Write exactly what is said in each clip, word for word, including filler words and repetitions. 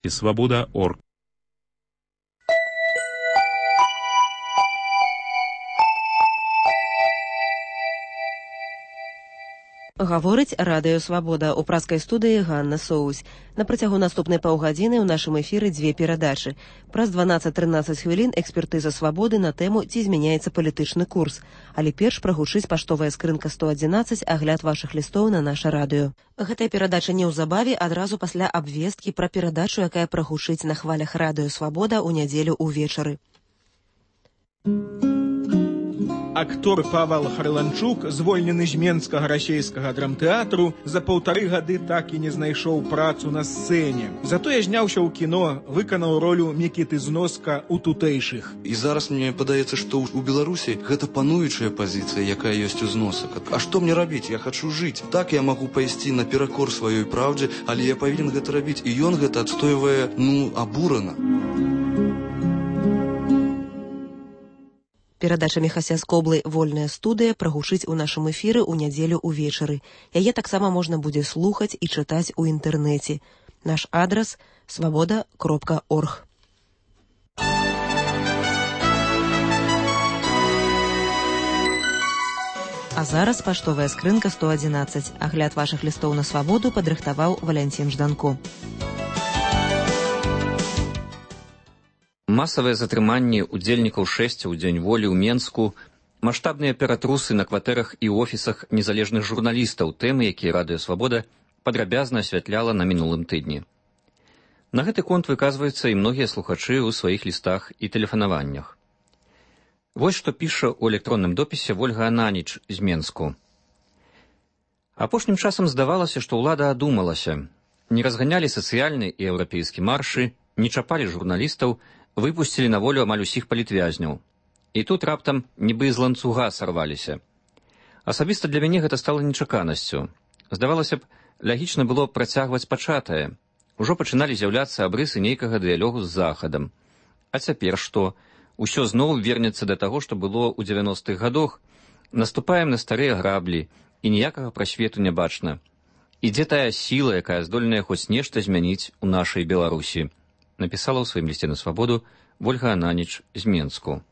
Свобода точка орг. Гаворыць радыё Свабода. У праскай студыі Ганна Соусь. На працягу наступнай паўгадзіны ў нашым эфіры дзве перадачы. Праз дванаццаць-трынаццаць хвілін экспертыза Свабоды на тэму «Ці змяняецца палітычны курс». Але перш прагучыць паштовая скрынка сто адзінаццаць, агляд вашых лістоў на наша радыё. Гэтая перадача неўзабаве, адразу пасля абвесткі пра перадачу, якая прагучыць на хвалях радыё Свабода ў нядзелю ўвечары. Актор Павел Харланчук, звольнены з Менскага расейскага драмтэатру, за паўтары гады так і не знайшоў працу на сцэне. Затое зняўся ў кіно, выканаў ролю Мікіты Зноска ў тутэйшых. І зараз мне падаецца, што ў Беларусі гэта пануючая пазіцыя, якая ёсць у Зносак. А што мне рабіць? Я хачу жыць. Так я магу пайсці наперакор сваёй праўдзе, але я павінен гэта рабіць. І ён гэта адстойвае, ну, абурана. Перадача Міхася Скоблы «Вольная студыя» прагучыць у нашым эфіры ў нядзелю ўвечары. Яе таксама можна будзе слухаць і чытаць у інтэрнэце. Наш адрас – свабода кропка орг. А зараз паштовая скрынка сто адзінаццаць. Агляд вашых лістоў на Свабоду падрыхтаваў Валянцін Жданко. Масавыя затрыманні удзельнікаў шэсця ў дзень волі ў Менску, маштабныя ператрусы на кватэрах і офісах незалежных журналістаў, тэмы, якія радыё Свабода падрабязна асвятляла на мінулым тыдні. На гэты конт выказваюцца і многія слухачы ў сваіх лістах і тэлефанаваннях. Вось што піша ў электронным допісе Вольга Ананіч з Менску. Апошнім часам здавалася, што ўлада адумалася. Не разганялі сацыяльны і еўрапейскі маршы, не чапалі журналістаў, выпусцілі на волю амаль усіх палітвязняў. І тут раптам нібы з ланцуга сарваліся. Асабіста для мяне гэта стала нечаканасцю. Здавалася б, лагічна было працягваць пачатае. Ужо пачыналі з'яўляцца абрысы нейкага дыялогу з Захадам. А цяпер што? Усё зноў вернецца да таго, што было ў дзевяностых гадах. Наступаем на старыя граблі, і ніякага прасвету не бачна. І дзе тая сіла, якая здольная хоць нешта змяніць у нашай Беларусі? Напісала ў сваім лісце на Свабоду Вольга Ананіч з Менску.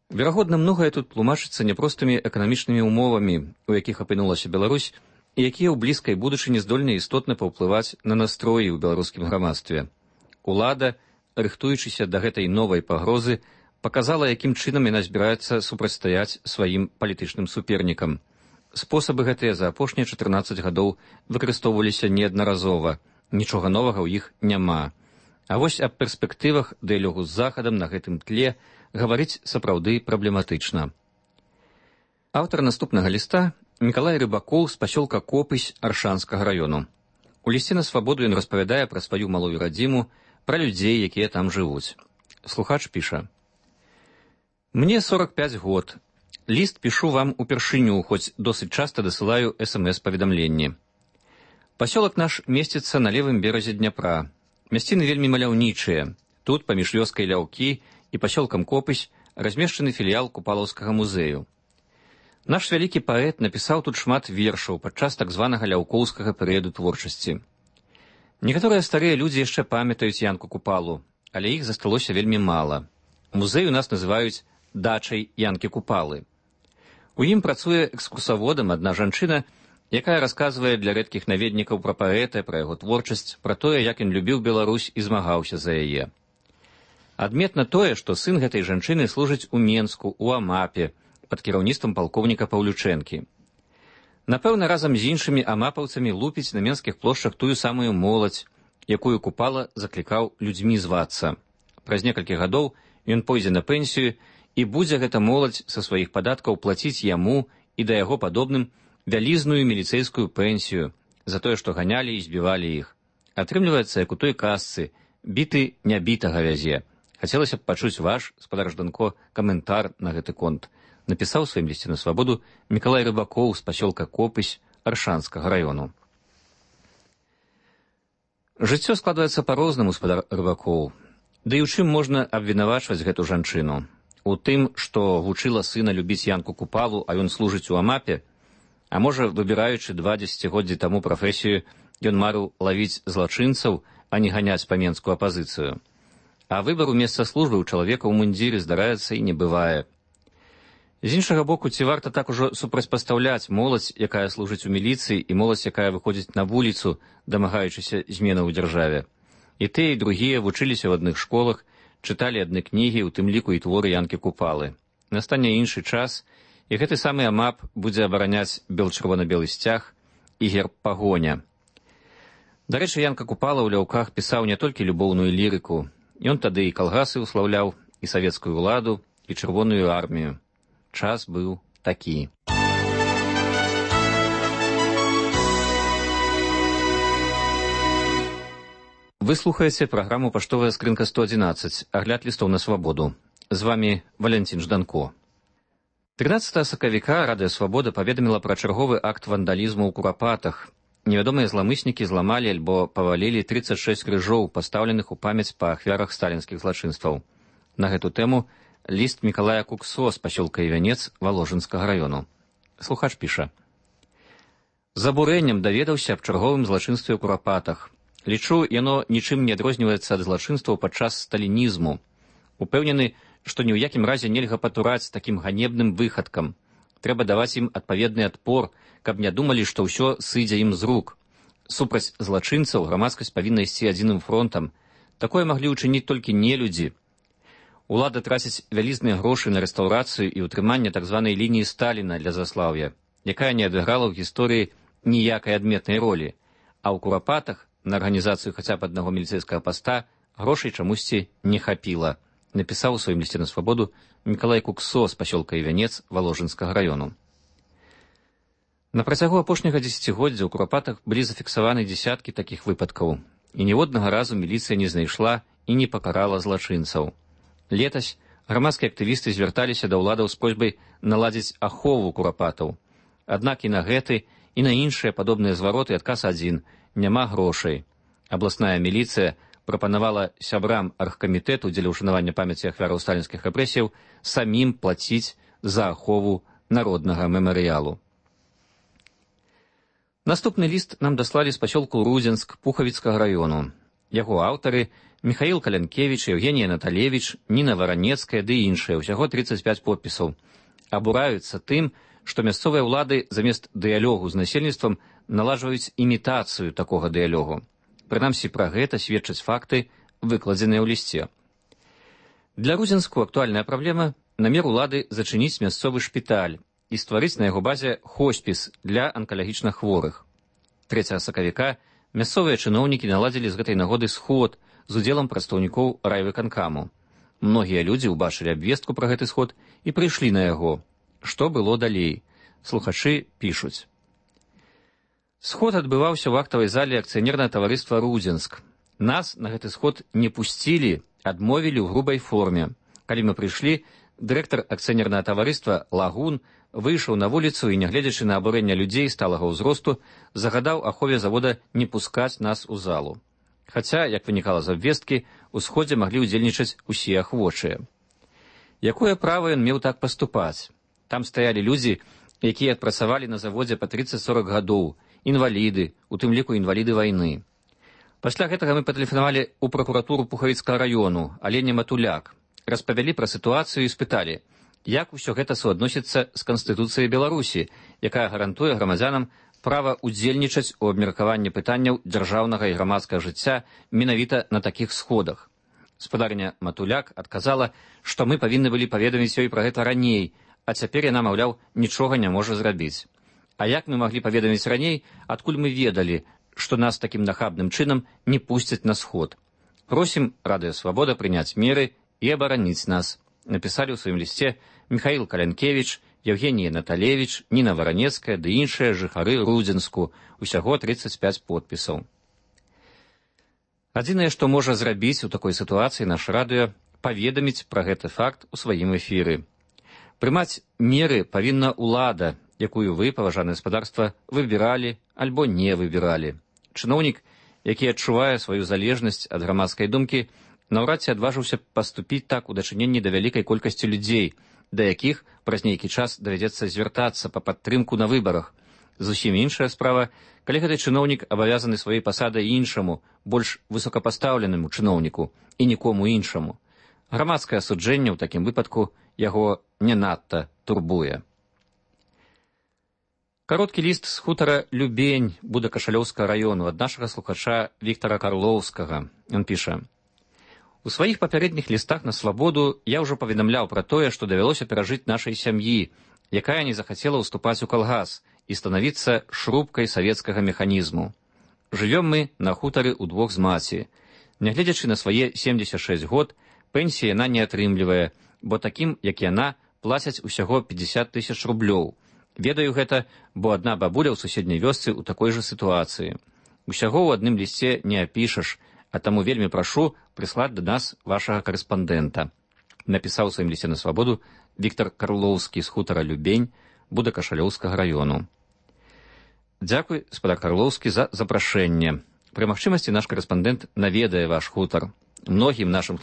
Верагодна, многае тут тлумачыцца няпростымі эканамічнымі ўмовамі, у якіх апынулася Беларусь, і якія ў блізкай будучыні здольны істотна паўплываць на настроі ў беларускім грамадстве. Улада, рыхтуючыся да гэтай новай пагрозы, паказала, якім чынам яна збіраецца супрацьстаяць сваім палітычным супернікам. Спосабы гэтыя за апошнія чатырнаццаць гадоў выкарыстоўваліся неаднаразова. Нічога новага ў іх няма. А вось аб перспектывах дыялогу з Захадам на гэтым тле гаварыць сапраўды праблематычна. Аўтар наступнага ліста Мікалай Рыбакоў з пасёлка Копысь Аршанскага раёну. У лісце на Свабоду ён распавядае пра сваю малую радзіму, пра людзей, якія там жывуць. Слухач піша. Мне сорак пяць год. Ліст пішу вам упершыню, хоць досыць часта дасылаю эс эм эс-паведамленні. Пасёлак наш месціцца на левым беразе Дняпра. Мясціны вельмі маляўнічыя. Тут, паміж вёскай Ляўкі і пасёлкам Копысь, размешчаны філіял Купалаўскага музею. Наш вялікі паэт напісаў тут шмат вершаў падчас так званага ляўкоўскага перыяду творчасці. Некаторыя старыя людзі яшчэ памятаюць Янку Купалу, але іх засталося вельмі мала. Музей у нас называюць дачай Янкі Купалы. У ім працуе экскурсаводам адна жанчына, якая расказвае для рэдкіх наведнікаў пра паэта, пра яго творчасць, пра тое, як ён любіў Беларусь і змагаўся за яе. Адметна тое, што сын гэтай жанчыны служыць у Менску, у Амапе, пад кіраўніцтвам палкоўніка Паўлючэнкі. Напэўна, разам з іншымі амапаўцамі лупіць на менскіх плошчах тую самую моладзь, якую Купала заклікаў людзьмі звацца. Праз некалькі гадоў ён пойдзе на пенсію, і будзе гэта моладзь са сваіх падаткаў плаціць яму і да яго падобным вялізную міліцэйскую пенсію за тое, што ганялі і збівалі іх. Атрымліваецца, як у той казцы, біты нябітага вязе. Хацелася б пачуць ваш, спадар Жданко, каментар на гэты конт. Напісаў у сваім лісце на Свабоду Мікалай Рыбакоў з пасёлка Копысь Аршанскага раёну. Жыццё складваецца па-рознаму, спадар Рыбакоў. Ды і ў чым можна абвінавачваць гэту жанчыну? У тым, што вучыла сына любіць Янку Купалу, а ён служыць у Амапе? А можа, выбіраючы два дзесяцігоддзі таму прафесію, ён марыў лавіць злачынцаў, а не ганяць па-менску апазіцыю. А выбару месца службы ў чалавека ў мундзіры, здараецца, і не бывае. З іншага боку, ці варта так ужо супрацьпастаўляць моладзь, якая служыць у міліцыі, і моладзь, якая выходзіць на вуліцу, дамагаючыся зменаў у дзяржаве? І тыя, і другія вучыліся ў адных школах, чыталі адны кнігі, у тым ліку і творы Янкі Купалы. Настане іншы час, і гэты самы АМАП будзе абараняць бел-чырвона-белы сцяг і герб пагоня. Дарэчы, Янка Купала ў ляўках пісаў не толькі любоўную лірыку. Ён тады і калгасы ўслаўляў, і савецкую ўладу, і чырвоную армію. Час быў такі. Вы слухаеце праграму «Паштовая скрынка сто адзінаццаць», агляд лістоў на свабоду. З вамі Валянцін Жданко. трынаццатага сакавіка Радыё Свабода паведаміла пра чарговы акт вандалізму ў Курапатах. Невядомыя зламыснікі зламалі альбо павалілі трыццаць шэсць крыжоў, пастаўленых у памяць па ахвярах сталінскіх злачынстваў. На гэту тэму ліст Мікалая Куксо з пасёлка Івянец Валожынскага раёну. Слухач піша. З абурэннем даведаўся аб чарговым злачынстве ў Курапатах. Лічу, яно нічым не адрозніваецца ад злачынстваў падчас сталінізму. Упэўнены, што ні ў якім разе нельга патураць такім ганебным выхадкам. Трэба даваць ім адпаведны адпор, каб не думалі, што ўсё сыдзе ім з рук. Супраць злачынцаў грамадскасць павінна ісці адзіным фронтам. Такое маглі ўчыніць толькі нелюдзі. Улада траціць вялізныя грошы на рэстаўрацыю і ўтрыманне так званай лініі Сталіна для заслаўя, якая не адыграла ў гісторыі ніякай адметнай ролі. А ў Курапатах на арганізацыю хаця б аднаго міліцэйскага паста грошай чамусьці не хапіла, напісаў у сваім лісце на свабоду Мікалай Куксо з пасёлка Івянец Валожынскага раёну. На працягу апошняга дзесяцігоддзя ў Курапатах былі зафіксаваны дзесяткі такіх выпадкаў, і ніводнага разу міліцыя не знайшла і не пакарала злачынцаў. Летась грамадскія актывісты звярталіся да ўладаў з просьбай наладзіць ахову Курапатаў. Аднак і на гэты, і на іншыя падобныя звароты адказ адзін – няма грошай. Абласная міліцыя прапанавала сябрам аргкамітэту дзеля ўшанавання памяці ахвяраў сталінскіх рэпрэсіяў самім плаціць за ахову народнага мемарыялу. Наступны ліст нам даслалі з пасёлку Рудзенск Пухавіцкага раёну. Яго аўтары Міхаіл Калянкевіч, Евгенія Наталевіч, Ніна Варанецкая ды іншыя, усяго трыццаць пяць подпісаў. Абураюцца тым, што мясцовыя ўлады замест дыялогу з насельніцтвам наладжваюць імітацыю такога дыялогу. Прынамсі, пра гэта сведчаць факты, выкладзеныя ў лісце. Для Рудзенску актуальная праблема – намер улады зачыніць мясцовы шпіталь і стварыць на яго базе хоспіс для анкалагічна хворых. трэцяга сакавіка мясцовыя чыноўнікі наладзілі з гэтай нагоды сход з удзелам прадстаўнікоў райвыканкаму. Многія людзі ўбачылі абвестку пра гэты сход і прыйшлі на яго. Што было далей? Слухачы пішуць. Сход адбываўся ў актавай зале акцыянернага таварыства «Рудзенск». Нас на гэты сход не пусцілі, адмовілі ў грубай форме. Калі мы прыйшлі, дырэктар акцыянернага таварыства «Лагун» выйшаў на вуліцу і, нягледзячы на абурэнне людзей сталага ўзросту, загадаў ахове завода не пускаць нас у залу. Хаця, як вынікала з абвесткі, у сходзе маглі ўдзельнічаць усе ахвочыя. Якое права ён меў так паступаць? Там стаялі людзі, якія адпрацавалі на заводзе па трыццаць-сорак гадоў, інваліды, у тым ліку інваліды вайны. Пасля гэтага мы патэлефанавалі ў пракуратуру Пухавіцкага раёну, але не Матуляк. Распавялі пра сітуацыю і спыталі, як усё гэта суадносіцца з Канстытуцыяй Беларусі, якая гарантуе грамадзянам права ўдзельнічаць у абмеркаванні пытанняў дзяржаўнага і грамадскага жыцця менавіта на такіх сходах. Спадарня Матуляк адказала, што мы павінны былі паведаміць ёй пра гэта раней, а цяпер яна, маўляў, нічога не можа зрабіць. А як мы маглі паведаміць раней, адкуль мы ведалі, што нас такім нахабным чынам не пусцяць на сход? Просім Радыё Свабода прыняць меры і абараніць нас. Напісалі ў сваім лісце Міхаіл Калянкевіч, Евгенія Наталевіч, Ніна Варанецкая ды іншыя жыхары Рудзенску, усяго трыццаць пяць подпісаў. Адзінае, што можа зрабіць у такой сітуацыі наш радыё, паведаміць пра гэты факт у сваім эфіры. Прымаць меры павінна ўлада, якую вы, паважанае гаспадарства, выбіралі альбо не выбіралі. Чыноўнік, які адчувае сваю залежнасць ад грамадскай думкі, наўрад ці адважыўся паступіць так у дачыненні да вялікай колькасці людзей, да якіх праз нейкі час давядзецца звяртацца па падтрымку на выбарах. Зусім іншая справа, калі гэты чыноўнік абавязаны сваёй пасадай іншаму, больш высокапастаўленаму чыноўніку і нікому іншаму. Грамадскае асуджэнне ў такім выпадку яго не надта турбуе. Кароткі ліст з хутара Любень Будакашалёўскага раёну ад нашага слухача Віктара Карлоўскага. Ён піша: «У сваіх папярэдніх лістах на свабоду я ўжо паведамляў пра тое, што давялося перажыць нашай сям'і, якая не захацела ўступаць у калгас і станавіцца шрубкай савецкага механізму. Жывём мы на хутары ўдвох з маці. Нягледзячы на свае семдзесят шэсць год, пенсіі яна не атрымлівае, бо такім, як яна, плацяць усяго пятьдесят тысяч рублёў. Ведаю гэта, бо адна бабуля ў суседняй вёсцы ў такой жа сітуацыі. Усяго ў адным лісце не апішаш, а таму вельмі прашу прыслаць да нас вашага карэспандэнта», напісаў у сваім лісце на свабоду Віктар Карлоўскі з хутара Любень Будакашалёўскага раёну. Дзякуй, спадар Карлоўскі, за запрашэнне. Пры магчымасці наш карэспандэнт наведае ваш хутар. Многім нашым